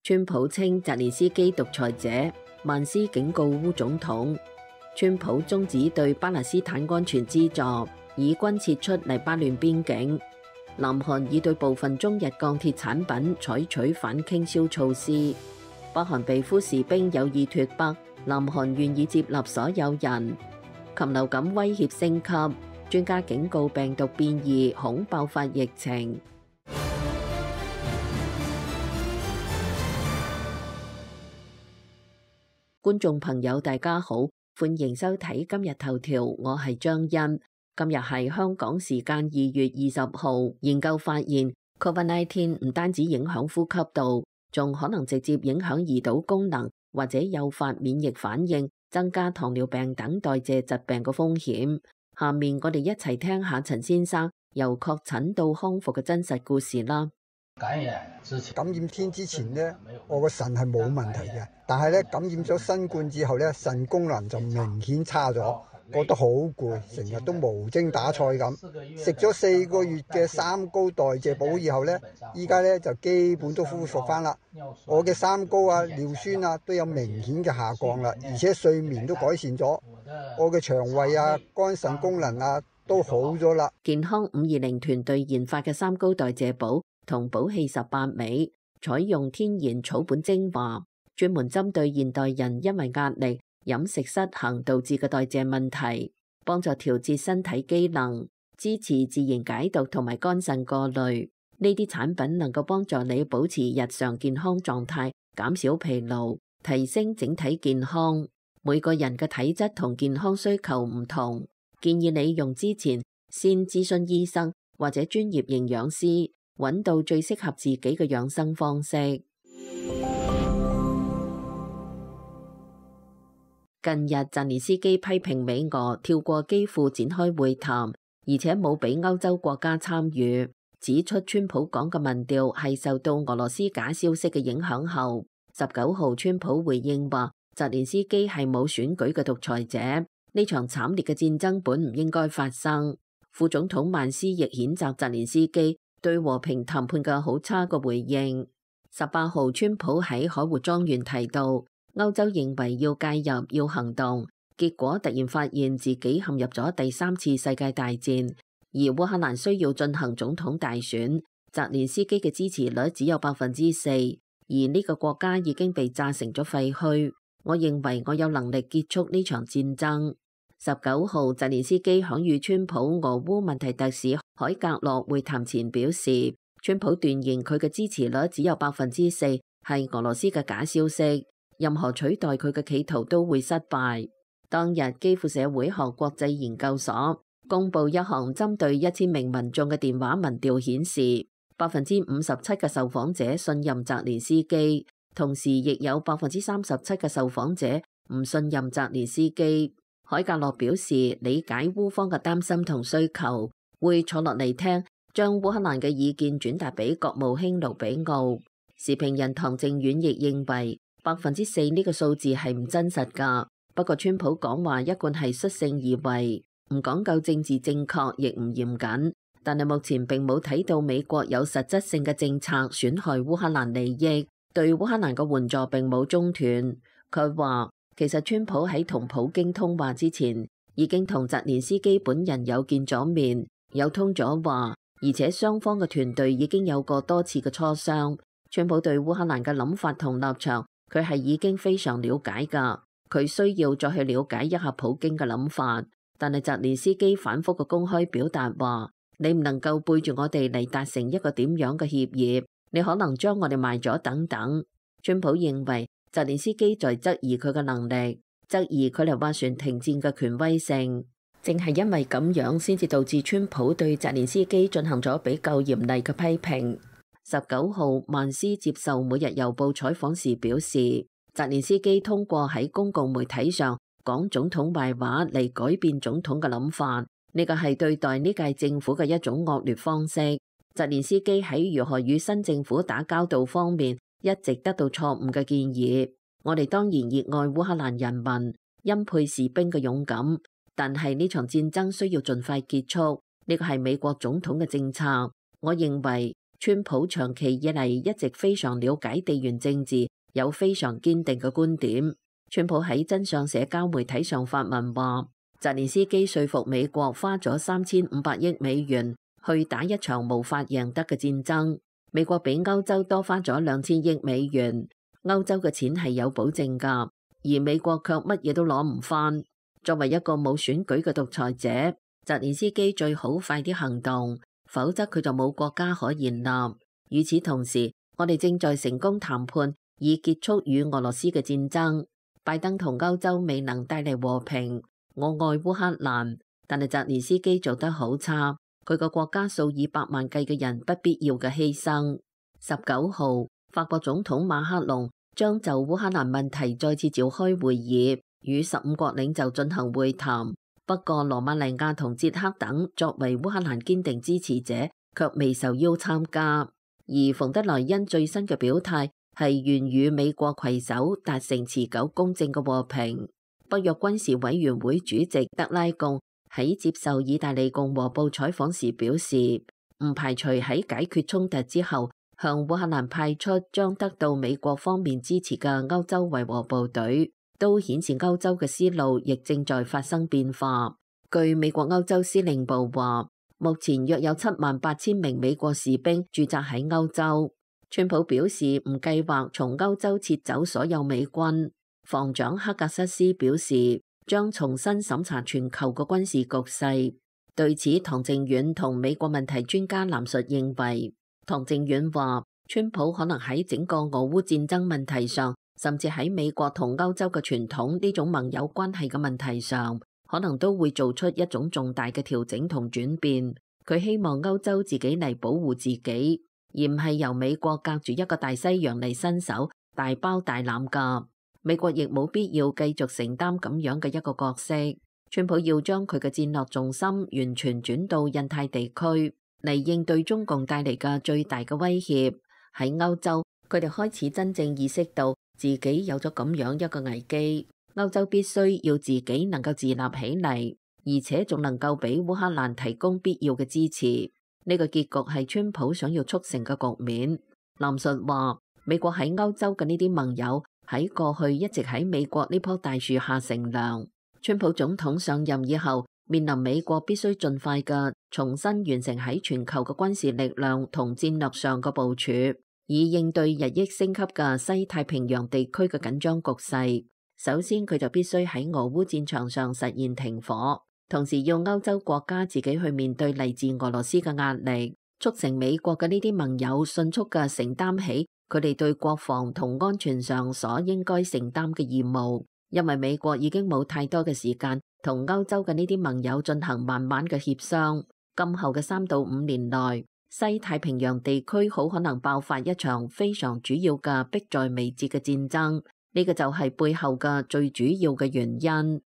川普稱澤連斯基獨裁者，萬斯警告烏總統。川普終止對巴勒斯坦安全資助，以軍撤出黎巴嫩邊境。南韓已對部分中日鋼鐵產品採取反傾銷措施。北韓被俘士兵有意脫北，南韓願意接納所有人。禽流感威脅升級，專家警告病毒變異恐爆發疫情。觀眾朋友大家好，歡迎收睇今日頭條，我係張欣。今日係香港時間2月20號，研究發現 COVID-19 唔單止影響呼吸道，仲可能直接影響胰島功能，或者誘發免疫反應，增加糖尿病等代謝疾病嘅風險。下面我哋一齊聽下陳先生由確診到康復嘅真實故事啦。感染天之前呢，我個腎係冇問題嘅，但係咧感染咗新冠之後咧，腎功能就明顯差咗，覺得好攰，成日都無精打采咁。食咗4個月嘅三高代謝補以後咧，依家咧就基本都恢復翻啦。我嘅三高啊、尿酸啊都有明顯嘅下降啦，而且睡眠都改善咗，我嘅腸胃啊、肝腎功能啊都好咗啦。健康520團隊研發嘅三高代謝補同補氣18味，採用天然草本精華，專門針對現代人因為壓力、飲食失衡導致嘅代謝問題，幫助調節身體機能，支持自然解毒同埋肝腎過濾。呢啲產品能夠幫助你保持日常健康狀態，減少疲勞，提升整體健康。每個人嘅體質同健康需求唔同，建議你用之前先諮詢醫生或者專業營養師，揾到最適合自己嘅養生方式。近日，澤連斯基批評美俄跳過基輔展開會談，而且冇俾歐洲國家參與，指出川普講嘅民調係受到俄羅斯假消息嘅影響後。19號，川普回應話，澤連斯基係冇選舉嘅獨裁者，呢場慘烈嘅戰爭本唔應該發生。副總統曼斯亦譴責澤連斯基對和平談判嘅好差嘅回應。18號，川普喺海活莊園提到，歐洲認為要介入要行動，結果突然發現自己陷入咗第3次世界大戰，而烏克蘭需要進行總統大選，澤連斯基嘅支持率只有4%，而呢個國家已經被炸成咗廢墟。我認為我有能力結束呢場戰爭。19號，澤連斯基響與川普俄烏問題特使海格洛會談前表示，川普斷言佢嘅支持率只有4%，係俄羅斯嘅假消息，任何取代佢嘅企圖都會失敗。當日，基輔社會學國際研究所公布一項針對1000名民眾嘅電話民調顯示，57%嘅受訪者信任澤連斯基，同時亦有37%嘅受訪者唔信任澤連斯基。海格洛表示理解烏方嘅擔心同需求，會坐落嚟聽，將烏克蘭嘅意見轉達俾國務卿盧比奧。時評人唐正遠亦認為4%呢個數字係唔真實㗎。不過川普講話一貫係率性而為，唔講究政治正確，亦唔嚴謹。但係目前並冇睇到美國有實質性嘅政策損害烏克蘭利益，對烏克蘭嘅援助並冇中斷。佢話其實川普喺同普京通話之前，已經同澤連斯基本人有見咗面，有通咗話，而且雙方嘅團隊已經有過多次嘅磋商。川普對烏克蘭嘅諗法同立場，佢係已經非常了解㗎，佢需要再去了解一下普京嘅諗法。但係澤連斯基反覆嘅公開表達話，你唔能夠背住我哋嚟達成一個點樣嘅協議，你可能將我哋賣咗等等。川普認為澤連斯基在質疑佢嘅能力，質疑佢嚟斡旋停戰嘅權威性。正係因為咁樣，先至導致川普對澤連斯基進行咗比較嚴厲嘅批評。19號，曼斯接受每日郵報採訪時表示，澤連斯基通過喺公共媒體上講總統壞話嚟改變總統嘅諗法，呢個係對待呢屆政府嘅一種惡劣方式。澤連斯基喺如何與新政府打交道方面一直得到錯誤嘅建議。我哋當然熱愛烏克蘭人民，欽佩士兵嘅勇敢，但係呢場戰爭需要盡快結束，呢個係美國總統嘅政策。我認為川普長期以嚟一直非常了解地緣政治，有非常堅定嘅觀點。川普喺真相社交媒體上發文話，澤連斯基說服美國花咗3500億美元去打一場無法贏得嘅戰爭。美國比歐洲多花咗2000億美元，歐洲嘅錢係有保證㗎，而美國卻乜嘢都攞唔返。作為一個冇選舉嘅獨裁者，澤連斯基最好快啲行動，否則佢就冇國家可言啦。與此同時，我哋正在成功談判以結束與俄羅斯嘅戰爭。拜登同歐洲未能帶嚟和平，我愛烏克蘭，但係澤連斯基做得好差，佢個國家數以百萬計嘅人不必要嘅犧牲。19號，法國總統馬克龍將就烏克蘭問題再次召開會議，與15國領袖進行會談。不過羅馬尼亞同捷克等作為烏克蘭堅定支持者，卻未受邀參加。而馮德萊恩最新嘅表態係願與美國攜手達成持久公正嘅和平。北約軍事委員會主席德拉貢喺接受意大利共和報採訪時表示，唔排除喺解決衝突之後，向烏克蘭派出將得到美國方面支持嘅歐洲維和部隊，都顯示歐洲嘅思路亦正在發生變化。據美國歐洲司令部話，目前約有78000名美國士兵駐紮喺歐洲。川普表示唔計劃從歐洲撤走所有美軍。防長克格瑟斯表示將重新審查全球嘅軍事局勢。對此，唐靖遠同美國問題專家藍述認為，唐靖遠話川普可能喺整個俄烏戰爭問題上，甚至喺美國同歐洲嘅傳統呢種盟友關係嘅問題上，可能都會做出一種重大嘅調整同轉變。佢希望歐洲自己嚟保護自己，而唔係由美國隔住一個大西洋嚟伸手大包大攬㗎。美國亦冇必要繼續承擔咁樣嘅一個角色。川普要將佢嘅戰略重心完全轉到印太地區嚟應對中共帶嚟嘅最大嘅威脅。喺歐洲，佢哋開始真正意識到自己有咗咁樣一個危機。歐洲必須要自己能夠自立起嚟，而且仲能夠俾烏克蘭提供必要嘅支持。呢個結局係川普想要促成嘅局面。藍述話，美國喺歐洲嘅呢啲盟友喺過去一直喺美國呢棵大樹下乘涼。川普總統上任以後，面臨美國必須盡快嘅重新完成喺全球嘅軍事力量同戰略上嘅部署，以應對日益升級嘅西太平洋地區嘅緊張局勢。首先，佢就必須喺俄烏戰場上實現停火，同時要歐洲國家自己去面對嚟自俄羅斯嘅壓力，促成美國嘅呢啲盟友迅速嘅承擔起佢哋對國防同安全上所應該承擔嘅義務。因為美國已經冇太多嘅時間同歐洲嘅呢啲盟友進行慢慢嘅協商。今後嘅3到5年內，西太平洋地區好可能爆發一場非常主要嘅迫在眉睫嘅戰爭。呢個就係背後嘅最主要嘅原因。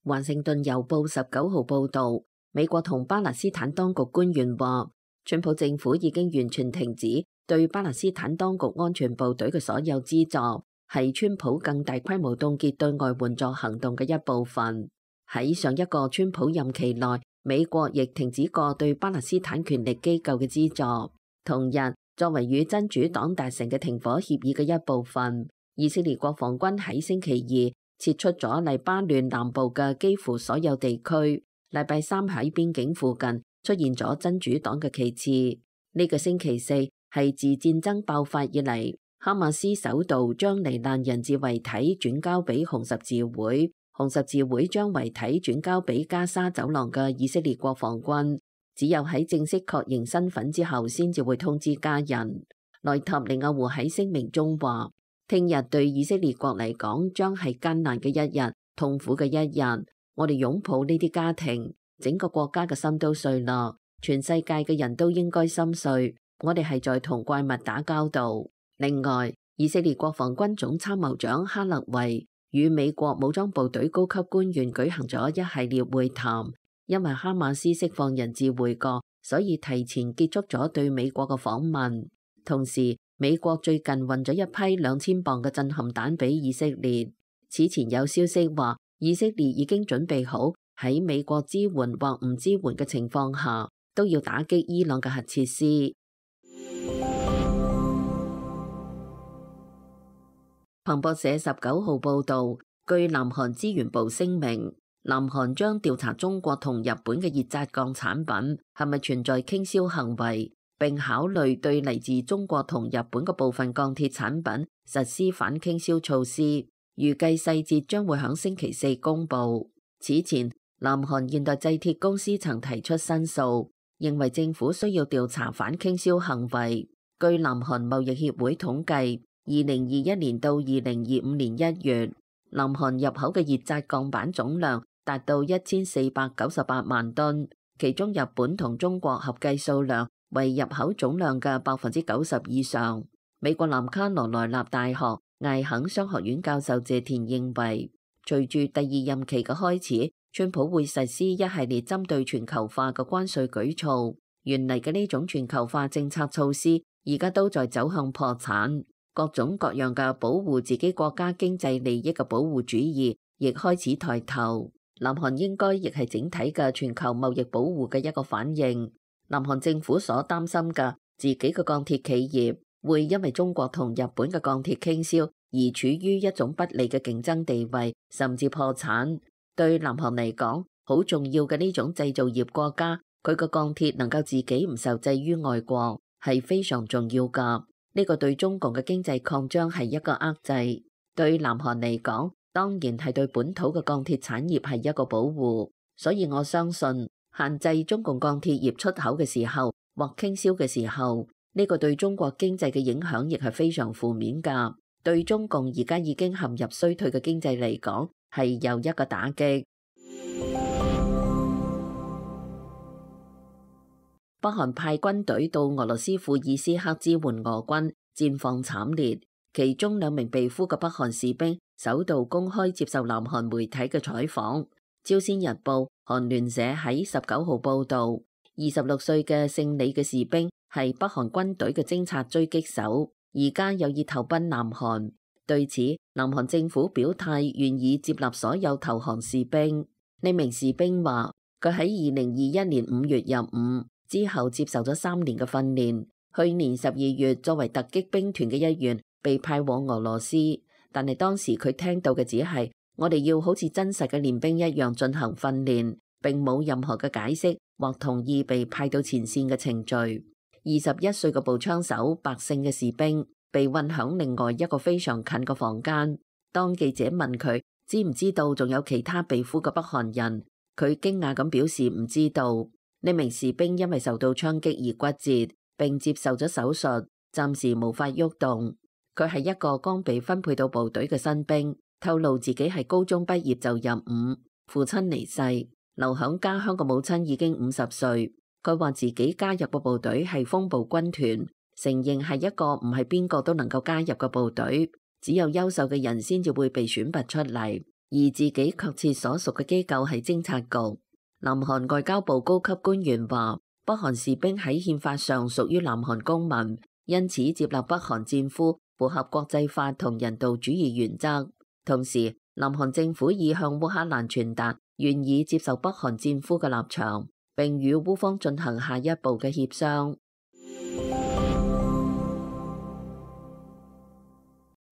華盛頓郵報19號報導，美國同巴勒斯坦當局官員話，川普政府已經完全停止對巴勒斯坦當局安全部隊嘅所有資助，係川普更大規模凍結對外援助行動嘅一部分。喺上一個川普任期內，美國亦停止過對巴勒斯坦權力機構嘅資助。同日，作為與真主黨達成嘅停火協議嘅一部分，以色列國防軍喺星期二撤出咗黎巴嫩南部嘅幾乎所有地區。禮拜三喺邊境附近出現咗真主黨嘅旗幟。呢個星期四係自戰爭爆發以嚟，哈馬斯首度將罹難人質遺體轉交俾紅十字會，紅十字會將遺體轉交俾加沙走廊嘅以色列國防軍。只有喺正式確認身份之後，先至會通知家人。內塔尼亞胡喺聲明中話，聽日對以色列國嚟講將係艱難嘅一日，痛苦嘅一日。我哋擁抱呢啲家庭，整個國家嘅心都碎啦，全世界嘅人都應該心碎。我哋係在同怪物打交道。另外，以色列國防軍總參謀長哈勒維與美國武裝部隊高級官員舉行咗一系列會談。因為哈馬斯釋放人質回國，所以提前結束咗對美國嘅訪問。同時，美國最近運咗一批2000磅嘅震撼彈俾以色列。此前有消息話，以色列已經準備好喺美國支援或唔支援嘅情況下，都要打擊伊朗嘅核設施。彭博社19號報導，據南韓資源部聲明，南韓將調查中國同日本嘅熱軋鋼產品係咪存在傾銷行為，並考慮對嚟自中國同日本嘅部分鋼鐵產品實施反傾銷措施。預計細節將會喺星期四公佈。此前，南韓現代製鐵公司曾提出申訴，認為政府需要調查反傾銷行為。據南韓貿易協會統計，2021年到2025年1月，南韓入口嘅熱軋鋼板總量達到1498萬噸，其中日本同中國合計數量為入口總量嘅90%以上。美國南卡羅來納大學艾肯商學院教授謝田認為，隨住第二任期嘅開始，川普會實施一系列針對全球化嘅關稅舉措。原嚟嘅呢種全球化政策措施，而家都在走向破產。各種各樣嘅保護自己國家經濟利益嘅保護主義，亦開始抬頭。南韓應該亦係整體嘅全球貿易保護嘅一個反應。南韓政府所擔心嘅自己嘅鋼鐵企業會因為中國同日本嘅鋼鐵傾銷而處於一種不利嘅競爭地位，甚至破產。對南韓嚟講，好重要嘅呢種製造業國家，佢個鋼鐵能夠自己唔受制於外國，係非常重要㗎。呢個對中共嘅經濟擴張係一個遏制，對南韓嚟講，當然係對本土嘅鋼鐵產業係一個保護。所以我相信，限制中共鋼鐵業出口嘅時候或傾銷嘅時候，呢個對中國經濟嘅影響亦係非常負面㗎。對中共而家已經陷入衰退嘅經濟嚟講，係又一個打擊。北韓派軍隊到俄羅斯庫爾斯克支援俄軍，戰況慘烈。其中2名被俘嘅北韓士兵首度公開接受南韓媒體嘅採訪。朝鮮日報、韓聯社喺19號報導，26歲嘅姓李嘅士兵係北韓軍隊嘅偵察狙擊手，而家有意投奔南韓。對此，南韓政府表態願意接納所有投降士兵。呢名士兵話：佢喺2021年5月入伍。之後接受咗3年嘅訓練，去年12月作為突擊兵團嘅一員被派往俄羅斯，但係當時佢聽到嘅只係我哋要好似真實嘅練兵一樣進行訓練，並冇任何嘅解釋或同意被派到前線嘅程序。21歲嘅步槍手白姓嘅士兵被運響另外一個非常近嘅房間，當記者問佢知唔知道仲有其他被俘嘅北韓人，佢驚訝咁表示唔知道。呢名士兵因為受到槍擊而骨折，並接受咗手術，暫時無法喐動。佢係一個剛被分配到部隊嘅新兵，透露自己係高中畢業就入伍，父親離世，留響家鄉嘅母親已經50歲。佢話自己加入嘅部隊係風暴軍團，承認係一個唔係邊個都能夠加入嘅部隊，只有優秀嘅人先至會被選拔出嚟，而自己確切所屬嘅機構係偵察局。南韓外交部高級官員話，北韓士兵喺憲法上屬於南韓公民，因此接納北韓戰俘符合國際法同人道主義原則。同時，南韓政府已向烏克蘭傳達願意接受北韓戰俘嘅立場，並與烏方進行下一步嘅協商。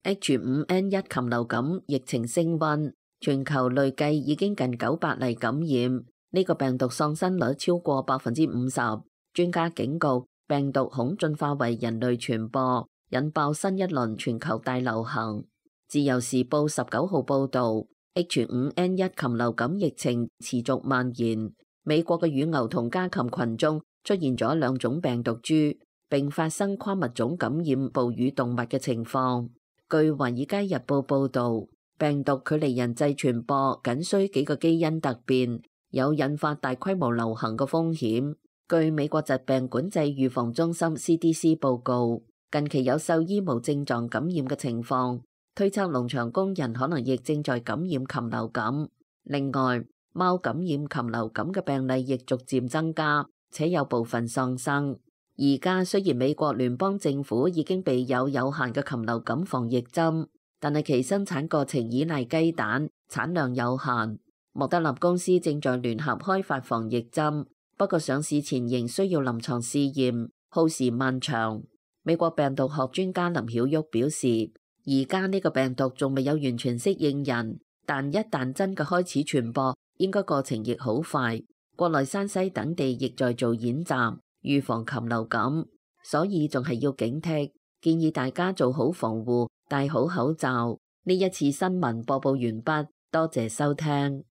H5N1 禽流感疫情升溫，全球累計已經近900例感染。呢個病毒喪生率超過50%，專家警告病毒恐進化為人類傳播，引爆新一輪全球大流行。自由時報19號報導 ，H5N1 禽流感疫情持續蔓延，美國嘅乳牛同家禽群中出現咗2種病毒株，並發生跨物種感染哺乳動物嘅情況。據《華爾街日報》報導，病毒距離人際傳播僅需幾個基因突變，有引發大規模流行嘅風險。據美國疾病管制預防中心 CDC 報告，近期有獸醫無症狀感染嘅情況，推測農場工人可能亦正在感染禽流感。另外，貓感染禽流感嘅病例亦逐漸增加，且有部分喪生。而家雖然美國聯邦政府已經備有限嘅禽流感防疫針，但係其生產過程依賴雞蛋，產量有限。莫德納公司正在聯合開發防疫針，不過上市前仍需要臨床試驗，耗時漫長。美國病毒學專家林曉旭表示，而家呢個病毒仲未有完全適應人，但一旦真嘅開始傳播，應該過程亦好快。國內山西等地亦在做演習，預防禽流感，所以仲係要警惕，建議大家做好防護，戴好口罩。呢一次新聞播報完畢，多謝收聽。